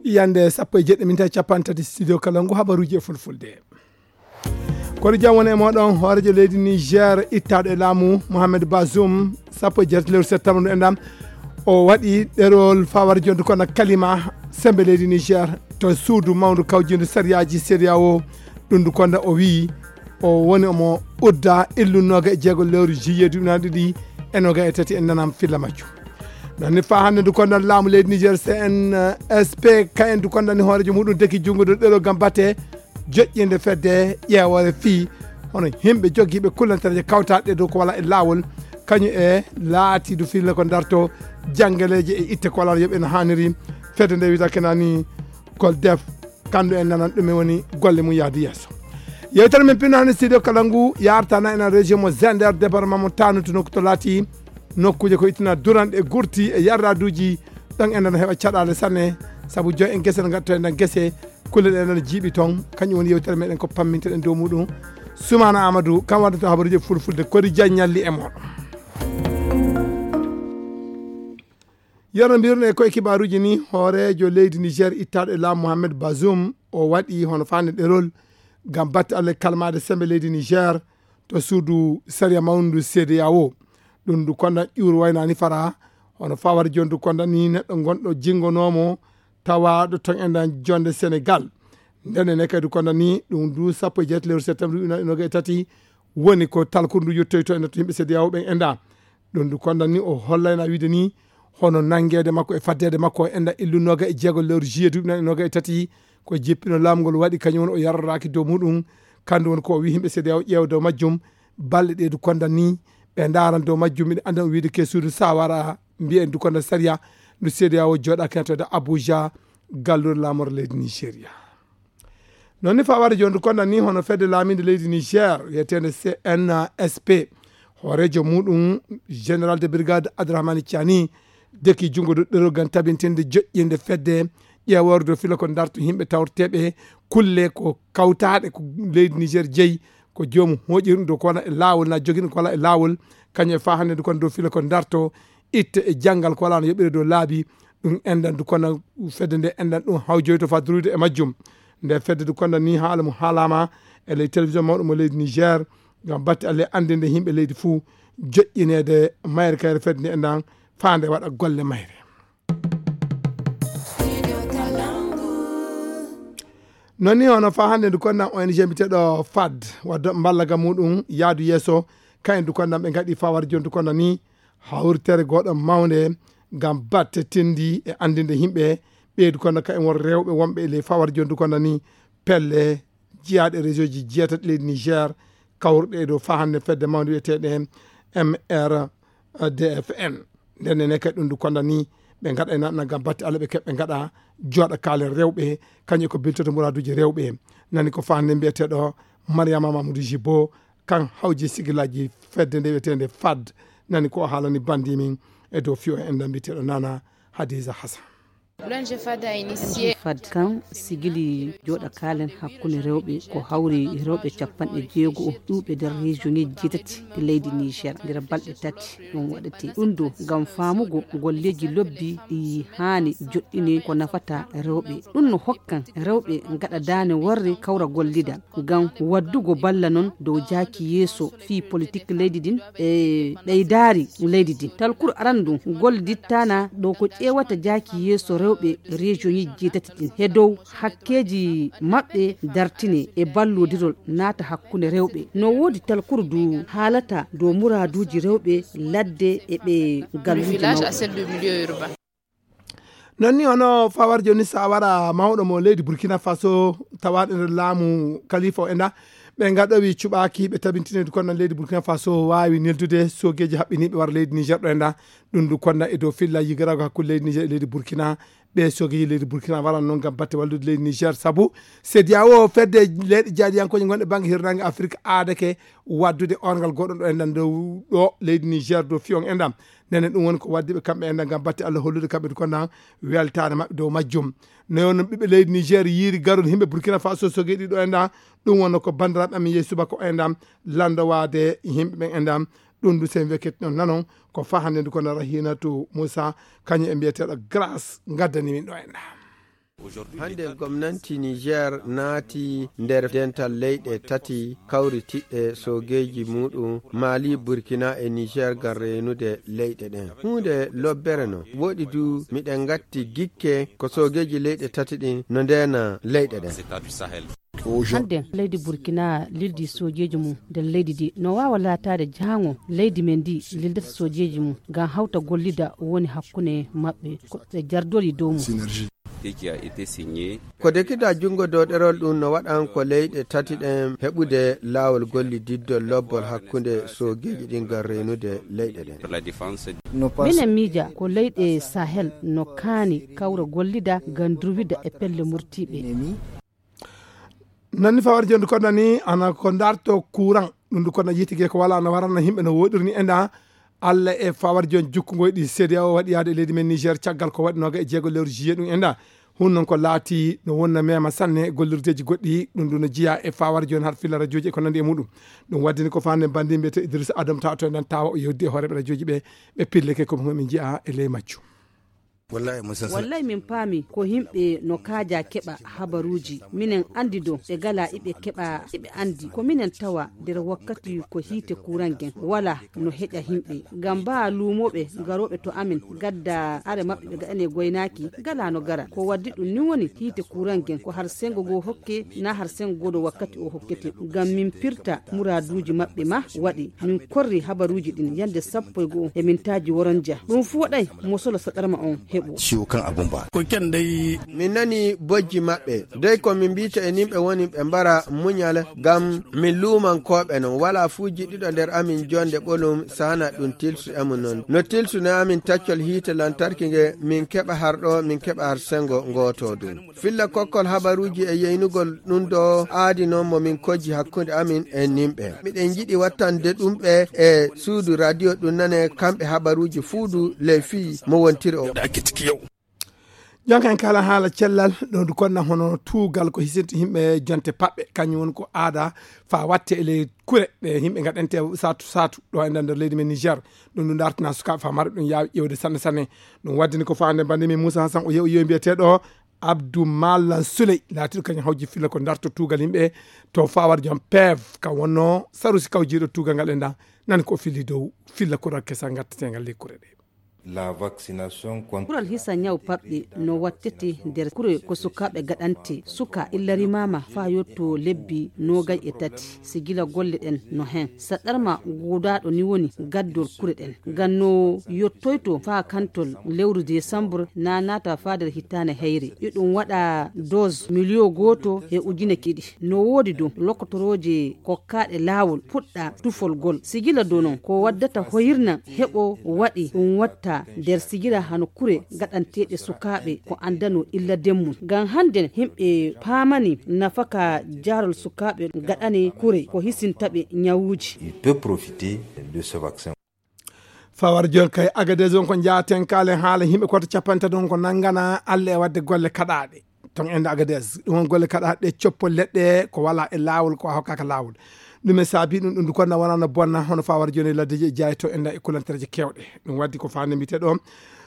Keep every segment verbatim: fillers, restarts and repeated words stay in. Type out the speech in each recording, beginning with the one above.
Yande sappo e jeɗɗi minti capanɗe tati studio kala ngu habaruji e fulfulde. Kono jam woni e moɗon, hoorejo leydi Niger ittaɗo e laamu Mohamed Bazoum, sappo e jeetati lewru septembre ndu enɗam, o waɗi ɗerol fawar jondu kono kalima sembe leydi Niger to suudu mawndu kawjindu sariyaji C D A O. Ɗum ndu konda o wi o woni omo udda illu noga e jeego lewru juillet duuɓi ɗiɗi e noga e tati en nanam filla majju. Nani fa hannde ndu konda laamu leydi Niger C N S P ka en ndu konda ni hoorejo muɗum deki junngo dow ɗerol gam batte joƴƴinde fedde ƴeewore fii hono yimɓe jogiiɓe kullantareeje kawtaaɗe dow ko wala e laawol, kañum e laatiidu filla ko darto janngeleeje e itte ko wala yoɓe no haaniri. Fedde nde wiyata kenani Goldef, kandu en nanan ɗum e woni golle mum yaadu yeeso. Yewtere men pinno hannde studio kala ngu yartana enen région mo Zender, département mo Tanout, nokku to laati nokkuuje ko ittina duranɗe gurti e yarraduuji. Ɗon en nana heɓa caɗaale sanne, sabu joy en gese no ngatto en gese, kulle ɗe nana jiiɓi toon. Kañum woni yewtere meɗen ko pamminteɗen dow muɗum. Sumana Amadou kam waɗata habaruuji fulfulde, kori jaññalli e moɗon. Yano mbirno e koye kibaaruuji ni, hooreejo leydi Niger ittaaɗo e laamu Mohamed Bazoum, o waɗi hono faande ɗerol ngam batte Allah kalmaade sembe leydi Niger to suudu sariya mawndu C D A O. Ɗum ndu konda ƴuur waynani fara, hono fawar jondu konda ni neɗɗo gonɗo jingonoomo tawaaɗo toon e nder jonde Senegal. Nden ne kadi konda ni ɗum ndu sappo e jeetati lewru septembre ujunere noga e tati woni ko talkuru ndu yettoyto e nder to yimɓe C D A O ɓen enda. Ɗum ndu konda ni o hollayna wiide ni hono nanngeede makko e faddeede makko e enda illu noga e jeego lewru juillet duuɓi noga e tati ko jippino laamu ngol waɗi kañum woni o yarroraaki dow muɗum. Kandu woni ko o wi yimɓe C D A O ƴeewa dow majjum. Balɗe ɗe du konda ni ɓe ndaran dow majjum. Miɗo annda o wiide ke suudu sawara mbiyen du konda sariya ndu C D A O jooɗaaki nattoyde Abuja, gallure laamor leydi Nigeria. Noon ni fawade jooni du konda ni hono fedde laaminde leydi Niger wiyeteende C N S P, hooreejo muɗum général de brigade Abdourahmane Tiani deki junngo dow ɗerol ngam tabintinde joƴƴinde fedde ƴeeworde dow fila ko darto yimɓe tawreteeɓe kulle ko kawtaaɗe ko leydi Niger jeyi, ko joomum hooƴirɗum dow ko wona e laawol na jogiɗum ko wala e laawol, kañum e fa hannde ndu kono dow fila ko darto itte e janngal ko wala no yoɓire dow laabi. Ɗum enɗan du kono fedde nde enɗan ɗum hawjoyto fa durude e majjum. Nde fedde du kono ni haala mo haalama e ley télévision mawɗo mo leydi Niger ngam batte alle anndinde yimɓe leydi fuu joƴƴineede mayre kayre fedde nde enɗan faande waɗa golle mayre. Noon ni hono fa hannde ndu konnan O N G mbiyeteeɗo fad waddo mballa ga muɗum yaadu yeeso, kayen ndu konnan ɓe ngaɗi fa war jooni ndu konnan ni hawritere gooɗo mawnde ngam batte tindi e anndinde yimɓe ɓeydu konnan kayen won rewɓe wonɓe e ley fa war jooni ndu konnan ni pelle jiyaaɗe région ji jeetati leydi Niger kawruɗe e dow fa hannde fedde mawnde wiyeteeɗe M R D F N. Nden ne kadi ɗum ndu konda ni ɓe ngaɗa e naɗna ngam batte Allah ɓe keɓɓe ngaɗa jooɗa kaalen rewɓe kañum ko biltoto muraduji rewɓe. Nani ko fa hannde mbiyeteeɗo Mariama Mamadou Jibo kan hawji sigilaji fedde nde wiyeteende fad. Nani ko o haalani bandi min e dow fiyo en ɗan mbiyeteeɗo Nana Hadiza Hassan. L'O N G fad a initié. Fad kan sigili jooɗa kaalen hakkunde rewɓe ko hawri rewɓe capanɗe jeego o ɗuuɓe nder région ŋeji jeetati e leydi Niger nder balɗe tati ɗum waɗete. Ɗum ɗo ngam faamugo golleji lobbi ɗi haani joɗɗine ko nafata rewɓe. Ɗum no hokkan rewɓe ngaɗa daane worre kawra gollida ngam waddugo balla non dow jaaki yeeso fii politik leydi din e ɓeydaari leydi din. Talkuru arandu goldittana ɗo ko ƴeewata jaaki yeeso rewɓe region ji jeetati din he dow hakkeeji maɓɓe dartine e ballodirol naata hakkunde rewɓe. No woodi talkuru du haalata dow muraaduuji rewɓe ladde e ɓe galluuji mawɓe. Noon ni hono fawar jooni sa wara mawɗo mo leydi Burkina Faso tawaaɗo nder laamu kalifa o enda ɓe ngaɗowi cuɓaaki ɓe tabintinede kono leydi Burkina Faso waawi neldude sogeeji haɓɓiniiɓe wara leydi Niger ɗo enda. Ɗum ndu konna e dow filla yigiraago hakkunde leydi Niger e leydi Burkina. Ɓe sogeeji leydi Burkina waran noon ngam batte wallude leydi Niger sabu C D A O fedde leyɗe jaaɗiyankooje gonɗe bannge hirnaange Afirka aadake waddude orngal goɗɗo ɗo enɗan dow ɗo leydi Niger dow fiyon enɗam. Nene ɗum woni ko waddi ɓe kamɓe enɗan ngam batte Allah hollude kamɓe ko nan weltaare maɓɓe dow majjum. No wonno ɓiɓɓe leydi Niger yiiri garol yimɓe Burkina Faso sogeeɗi ɗo enɗan. Ɗum wonno ko banndiraaɓe amin yehi subaka o enɗan lanndowaade yimɓe ɓen enɗan. Ɗum du sen wekket non nanon ko fa hannde ndu kono Rahinatu Moussa kañum e mbiyeteeɗo Grâce ngaddani min ɗo enɗan. Hannde gomnanti Niger naati nder dental leyɗe tati kawritiɗɗe soogeeji muuɗum, Mali, Burkina e Niger, ngam reenude leyɗe ɗen. Huunde lobbere non. Woɗi du miɗen ngatti gikke ko soogeeji leyɗe tati ɗin no ndeena leyɗe ɗen. Hannde leydi Burkina lildi soojeeji mum nder leydi ndi. No waawa laataade jahango leydi men ndi lildata soojeeji mum ngam hawta gollida woni hakkunde maɓɓe. Ko ɓe jardori dow mum. Ko dekida junngo dow ɗerol ɗum no waɗan ko leyɗe tati ɗen heɓude laawol gollididdol lobbol hakkunde soogeeji ɗin ngam reenude leyɗe ɗen. Minen miija ko leyɗe Sahel no kaani kawra gollida ngam durwida e pelle murtiiɓe. Nanni fawar jonde ko nani ana ko darto courant ɗum ndu kono yitigi ko wala no warana himɓe no woɗirni enda. Allah e fawar jon jukkungoy ɗi C D A O waɗi yaade e leydi men Niger caggal ko waɗi noga e jeego lewru juillet ɗum enda. Hun non ko laati no wonna mema sanne gollirdeji goɗɗi ɗum ndu no jiya e fawar jon har filla rajooji e ko nandi e muɗum. Ɗum waddini ko fande bandi mbiyete Idrissa Adam tawa to enden tawa o yewdi e hooreɓe rajooji ɓe ɓe pilleke ko min jiya e ley majju. Wallay min paami ko himɓe no kaaja keɓa habaruuji. Minen anndi do ɓe gala iɓe keɓa iɓe anndi ko minen tawa nder wakkati ko hiite kuuran gen wala no heƴa himɓe. Ngam baa luumooɓe garooɓe to amin gadda are maɓɓe ɓe gaɗane goynaaki gala no gara. Ko waddi ɗum ni woni hiite kuuran gen ko har senngo goo hokke na har senngo goo no wakkati o hokkete. Ngam min pirta muraaduuji maɓɓe ma waɗi min korri habaruuji ɗin yannde sappo e go'o e mintaaji woronja. Ɗum fuu waɗay mo solo saɗarma on heɓo. Ciwo kan abun ba. Ko ken dai. Min nani bojji maɓɓe dey ko min mbiyta e nimɓe woni ɓe mbara muñal ngam min luumankooɓe non wala fuu jiɗɗuɗo nder amin jonde ɓolum sana ɗum tilsu e mum non no tilsu no amin taccol hiite lantarki nge min keɓa har ɗo min keɓa har sengo ngooto ɗum. Filla kokkol habaruuji e yeynugol ɗum ɗo aadi noon mo min kojji hakkunde amin e nimɓe. Miɗen njiɗi wattande ɗum ɓe e suudu radio ɗum nane kamɓe habaruuji fuudu ley fii mo wontiri o. Jonka en kala haala cellal ɗo ndu konna hono tuugal ko hisinta yimɓe jonte paɓɓe kañum woni ko aada fa watte e ley kure ɗe yimɓe gaɗante satu satu ɗo e nder leydi men Niger. Ɗum ɗum dartina sukaaɓe fa mara ɗum yaawi ƴewde sanne sanne. Ɗum waddini ko faande bande min Moussa Hassan o yewi yewi mbiyeteɗo Abdou Malan Souley laatiɗo kañum hawji filla ko darto tuugal yimɓe to fawar jom pev ka wonno sarusi kawjiɗo tuugal ngal e nda nani ko fili dow filla kural kesa gattetegal ley kure ɗe. Kural hisa ñaw paɓɓe no wattete nder kure ko sukaaɓe gaɗante suka illa rimama fa yotto lebbi nogay e tati si gila golle ɗen no hen saɗɗarma gudaɗo ni woni gaddol kure ɗen ngam no yottoyto fa kantol lewru décembre na nata fa nder hittane heyre yo ɗum waɗa dose miliyo goto e ujune kiɗi no wodi dow lokkotorooje kokkaɗe laawol puɗɗa tufol gol si gila dow non ko waddata hoyirna heɓo waɗi ɗum watta nder sigira hano kure gaɗanteɗe sukaaɓe ko andano illa demmum ngam hande himɓe paamani nafaka jarol sukaaɓe gaɗane kure ko hisintaɓe ñawuuji. Il peut profiter de ce vaccin. Fawar jol kay agades on ko jaaten kalen haala yimɓe koto capantato on ko nangana allah e wadde golle kaɗaɗe ton ende agades ɗum on golle kaɗaɗe ɗe coppol leɗɗe ko wala e lawol ko a hokkaka lawol. Ɗum e saabi ɗum ɗum ko na wonano bonna hono fawar joni laddeji e jaayi to enda e kulantereje kewɗe. Ɗum waddi ko fande mbite ɗo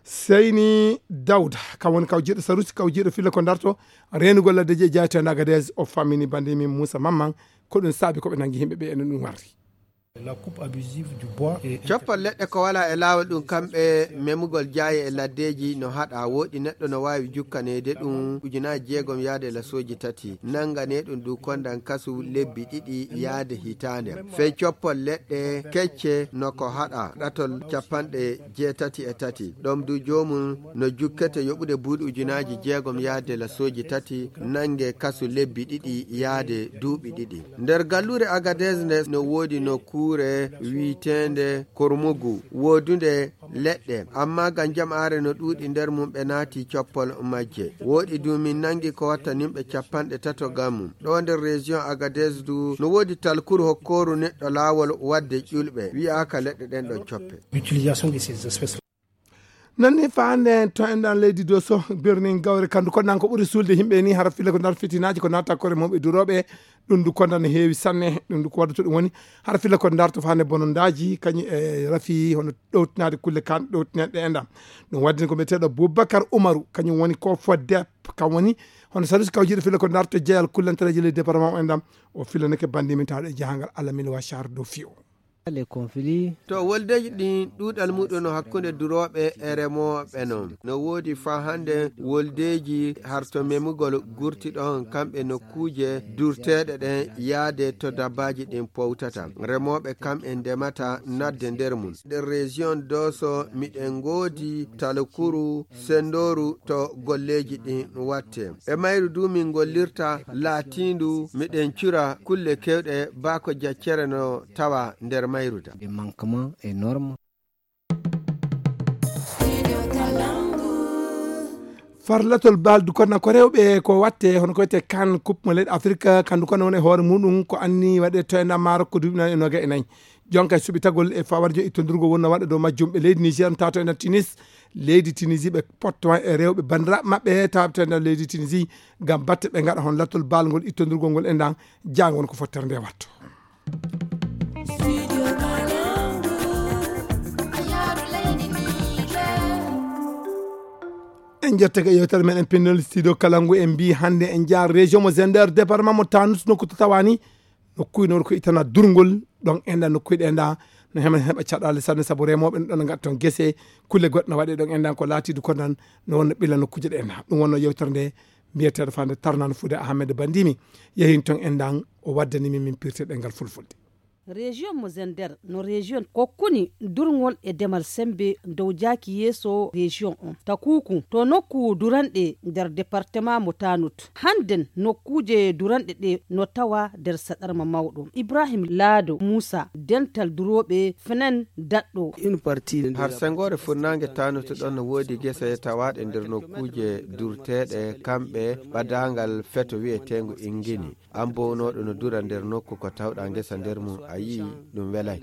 seyni dawda kam woni kaw jiɗo sarusi kaw jiɗo filla ko darto renugol laddeji e jaayi to enda agades o fammini bande min moussa mamman. Ko ɗum saabi ko ɓe nangi yimɓe ɓe enen ɗum warri. Coppol leɗɗe ko wala e laawol ɗum kamɓe memugol jaaye e laddeeji no haɗa woɗi neɗɗo no waawi jukkaneede ɗum ujunaaji jeegom yaade lasooji tati nangane ɗum du kondan kasu lebbi ɗiɗi yaade hitaande. Fey coppol leɗɗe kecce no ko haɗa ɗatol capanɗe jeetati e tati ɗom du joomum no jukkete yoɓude buuɗi ujunaaji jeegom yaade lasooji tati nange kasu lebbi ɗiɗi yaade duuɓi ɗiɗi. Nder galluure Agadez nde no woodi nokkuure wiiteende Kormugu woodunde leɗɗe, ammaa ngam jam'aare no ɗuuɗi nder mum ɓe naati coppol majje. Woɗi du min nangi ko watta nimɓe capanɗe tato ngam mum. Ɗo nder région Agadez du no woodi talkuru hokkooru neɗɗo laawol waɗde ƴulɓe, wi'aaka leɗɗe ɗen ɗon coppe. Nanni faande to enɗan leydi doso birnin gawre kandu ko nan ko ɓuri suulde yimɓe ni hara filla ko nar fitinaaji ko natta kore mawɓe durooɓe. Ɗum du konda no heewi sanne. Ɗum du ko wadduto ɗum woni hara filla ko darto faande bonondaaji kañum e rafi hono ɗowtinaade kulle kan ɗowtinaɗe enɗan. Ɗum waddini ko mbiyeteeɗo Boubacar Oumarou kañum woni ko fodde Kam woni hono salusi kawjiiɗo filla ko darto jeyal kullantareeji leydi département o enɗam. O fillanake bandi min tawɗo e jahangal alamil wa char do fiyo. Les conflits. To woldeeji ɗin ɗuuɗal muɗum no hakkunde durooɓe e remooɓe non. No woodi faa hannde woldeeji harto memugol gurti ɗon kamɓe nokkuuje durteeɗe ɗen yaade to dabbaaji ɗin powtata. Remooɓe kam en ndemata nadde nder mum. Nder région Dooso miɗen ngoodi talkuru sendooru to golleeji ɗin watte. E mayru du min ngollirta laatiindu miɗen cura kulle kewɗe baa ko jaccere no tawa nder mayru da. Des manquements énormes. Farlatol bal du konna ko rewɓe ko watte hono ko wiyete kan coupe mo leyɗe Afrique kandu kono woni e hoore muɗum ko anni waɗe to e ndar Maroc ko duuɓi nayi e noga e nayi. Jonka e suɓitagol e fawarjo ittondirgol wonno waɗa dow majjum ɓe leydi Niger tato e ndar Tunis. Leydi Tunisie ɓe potto e rewɓe bandiraɓe maɓɓe tato e ndar leydi Tunisie ngam batte ɓe ngaɗa hon lattol bal ngol ittondirgol ngol e ndan jango won ko fottere nde watto. En jettake yewtere meɗen pindol studio kalangu en mbi hannde en jaa région mo Zender département mo Tanut nokku to tawani nokkuy noon ko itana durngol ɗon enda nokkuy ɗe enda no heɓa heɓa caɗale sanne sabu remoɓe no ɗon gatta toon gese kulle goɗɗe no waɗe ɗon enda ko laatidu ko nan no wonno ɓilla nokkuji ɗe enda ɗum wonno yewtere nde mbiyeteɗo fande tarnano fuude Ahmed Bandimi yehin toon endan o waddani min min pirte ɗengal fulfulde. Région mo Zender no région kokkuni durngol e demal sembe dow jaaki yeeso région on takuku to nokku duranɗe nder département mo Tanut. Hannden nokkuuje duranɗe ɗe no tawa nder saɗarma mawɗo. Ibrahim Laado Muusa, dental durooɓe fenen daɗɗo. Har sengoore furnaange Tanut ɗon no woodi gese tawaaɗe nder nokkuuje durteeɗe kamɓe ɓadaangal feto wi'eteengo Ingini. An bownooɗo no dura nder nokku ko tawɗa ngesa nder mum a yi'i ɗum welay.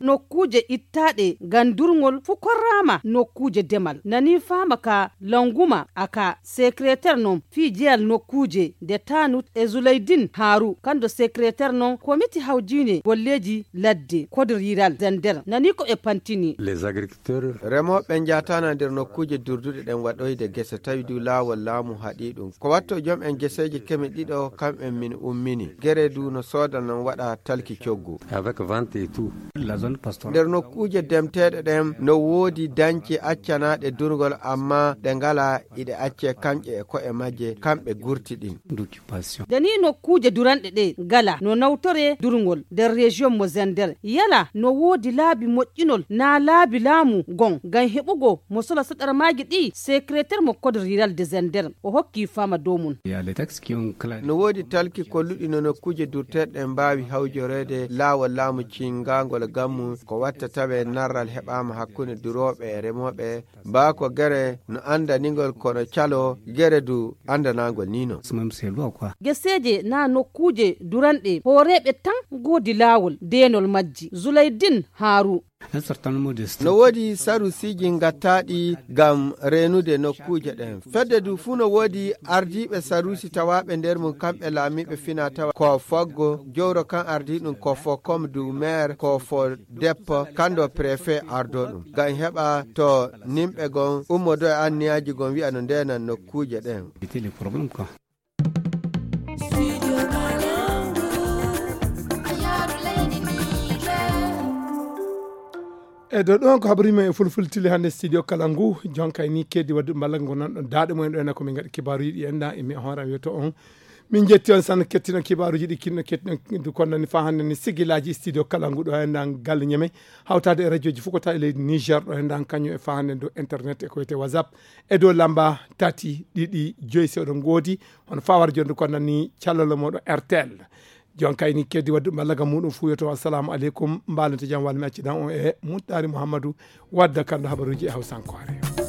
Nokkuuje ittaaɗe ngam durngol fu korraama nokkuuje demal nani faama ka Languma aka secrétaire non fii jeyal nokkuuje nde Tanut e Zulaydin Haaru kando secrétaire non komiti hawjiine golleeji ladde code rural Zender nani ko ɓe pantini. Remooɓe njaataana nder nokkuuje durduɗe ɗen waɗoyde gese tawi du laawol laamu haɗi ɗum. Ko watto jom en geseeji keme ɗiɗo kam en min ummini. Gere du no sooda non waɗa talki coggu. Avec vente et tout. La zone pastorale. Nder nokkuuje demteeɗe ɗen no woodi dañce accanaaɗe durngol amma ɗe ngala iɗe accee kañƴe e ko'e majje kamɓe gurti ɗin. Dani nokkuuje duranɗe ɗe ngala no nawtoree durngol nder région mo Zender. Yala no woodi laabi moƴƴinol naa laabi laamu gon ngam heɓugo mo sola saɗarmaaji ɗi secrétaire mo code rural de Zender o hokki faama dow mum. No woodi talki kolluɗi no nokkuuje durteeɗe ɗen mbaawi hawjoreede laawol laamu cinngaangol gammu ko watta tawee narral heɓaama hakkunde durooɓe e remooɓe. Baa ko gere no anndaningol kono calo gere du anndanaangol ni non. Geseeje naa nokkuuje duranɗe hooreeɓe tan ngoodi laawol deenol majji. Zulaydin Haaru. No woodi sarusiiji ngattaaɗi ngam reenude nokkuuje ɗen. Fedde du fuu no woodi ardiiɓe saruusi tawaaɓe nder mum kamɓe laamiiɓe fina tawa ko foggo jowro kan ardii ɗum ko fo comme du maire ko fo deppo kando préfet ardo ɗum ngam heɓa to nimɓe gon ummodo e anniyaaji gon wi'a no ndeenan nokkuuje ɗen. E dow ɗon ko habaruji men e fulfulde tili hannde studio kala ngu jonka e ni keddi wadduɓe mballa ngo nan ɗon daaɗe mumen ɗo ena ko min ngaɗi kibaaruji ɗi enɗa e mi hoore am yetto on. Min jetti on sanne kettiɗon kibaaruji ɗi kinno kettiɗon du kon nani fa hannde ni sigilaji studio kala ngu ɗo enɗa galle ñeme hawtade e radioji fof ko tawi e leydi Niger ɗo enɗa kañum e fa hannde dow internet e ko wiyete WhatsApp e dow lamba tati ɗiɗi joyi sewɗo ngoodi. Hono fawar jonde ko nanni callalo moɗo R T L. Jon kayni keddi waddu ballagam muɗum fuyoto assalamu aleykum mbalente jam wal mi accidan on e muttari Muhammadu wadda kando habaruji e hawsankore.